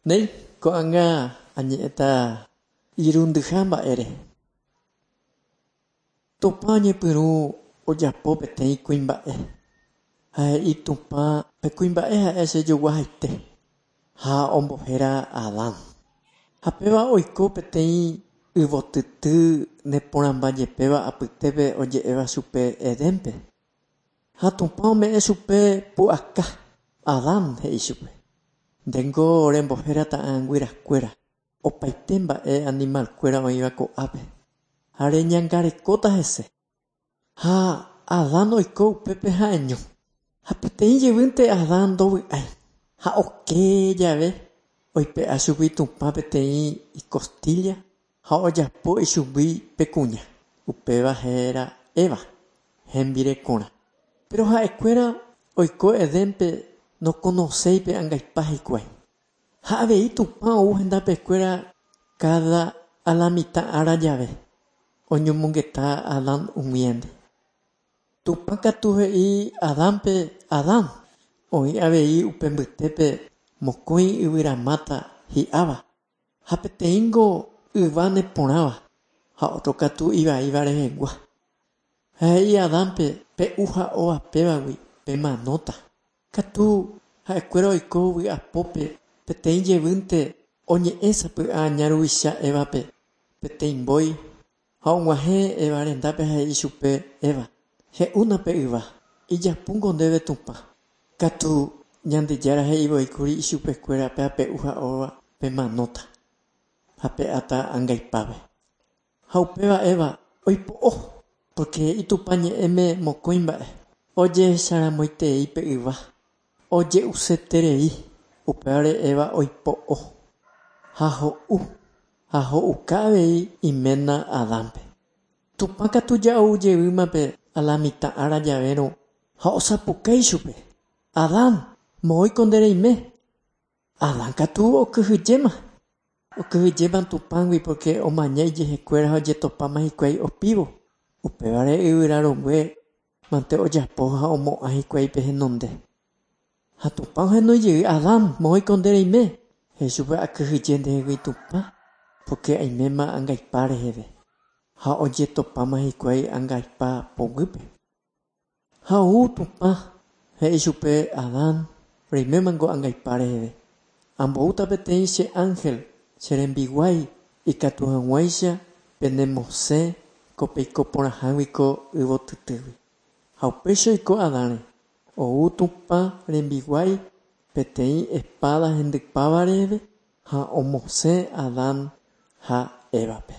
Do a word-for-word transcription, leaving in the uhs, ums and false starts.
Néi, ko'ág̃a añe'ẽta irundyha mba'ére. Tupã oñepyrũ ojapo peteĩ kuimba'e ha he'i Tupã pe kuimba'e ha'e chejoguahaite ha ombohéra Adán. Ha péva oiko peteĩ yvotyty neporãmbajepéva apytépe oje'éva chupe Edénpe. Ha Tupã ome'ẽ chupe pu'aka. Adán he'i chupe. Ndéngo rembohéra ta'ãnguerakuéra opaite mba'e animalkuéra oĩva ko'ápe ha reñangarekóta hese. Ha Adán oiko upépe ha'eño. Ha peteĩ jevýnte Adán ndovy'ái ha oke jave oipe'a chugui Tupã peteĩ icostilla ha ojapo ichugui pe kuña. Upéva héra Eva, hembirekorã. Pero ha'ekuéra oiko Edénpe nokonoséipe angaipa hikuái. Ha avei Tupã ou hendapekuéra cada alamitã ára jave oñomongeta Adán umíandi. Tupã katu he'i Adánpe Adán oĩ avei upe mbytépe mokõi yvyramáta hi'áva ha peteĩngo yva neporãva ha otro katu ivaíva rehegua. Ha he'i Adánpe pe'u ha'óva pévagui pemanóta. Katu ha'ekuéra oiko vy'apópe peteĩ jevýnte oñe'ẽ sapy'a aña ruvicha Evape peteĩ mbói ha og̃uahẽ Eva rendápe ha he'i chupe Eva he'úna pe yva ijapúngo ndéve Tupã. Katu Ñandejára he'ivoíkuri ichupekuéra pe ape'u ha'óva pemanóta ha pe'áta angaipápe. Ha upéva Eva oipo'o porque he'i Tupã ñe'ẽme mokõi mba'e ojehecharamoitei pe yva oje'useterei upévare Eva oipo'o ha ho'u ha ho'uka avei iména Adánpe. Tupã katu ja'u jevýmape alamitã ára javérõ ha osapukái chupe. Adán, moõiko nde reime. Adán katu okyhyjéma. Okyhyjéma Tupãgui porque omaña ijehekuéra ha ojetopáma hikuái opívo. Upévare yvyrarongue mante ojapo ha omo'ã hikuái pe henonde. Ha Tupã ohenói jey Adán, moõiko nde reime. He'i chupe akyhyje ndehegui Tupã porque aiméma angaipa reheve. Ha ojetopáma hikuái angaipa poguýpe. Ha ou Tupã he'i chupe Adán reimémango angaipa reheve. Amboúta peteĩ che ángel che rembiguái ikatu hag̃uáicha penemosẽ ko peikoporãhágui ko yvotytýgui. Ha upéicha oiko Adánre. Ou Tupã rembiguái peteĩ espada hendypáva reheve ha omosẽ Adán ha Evape.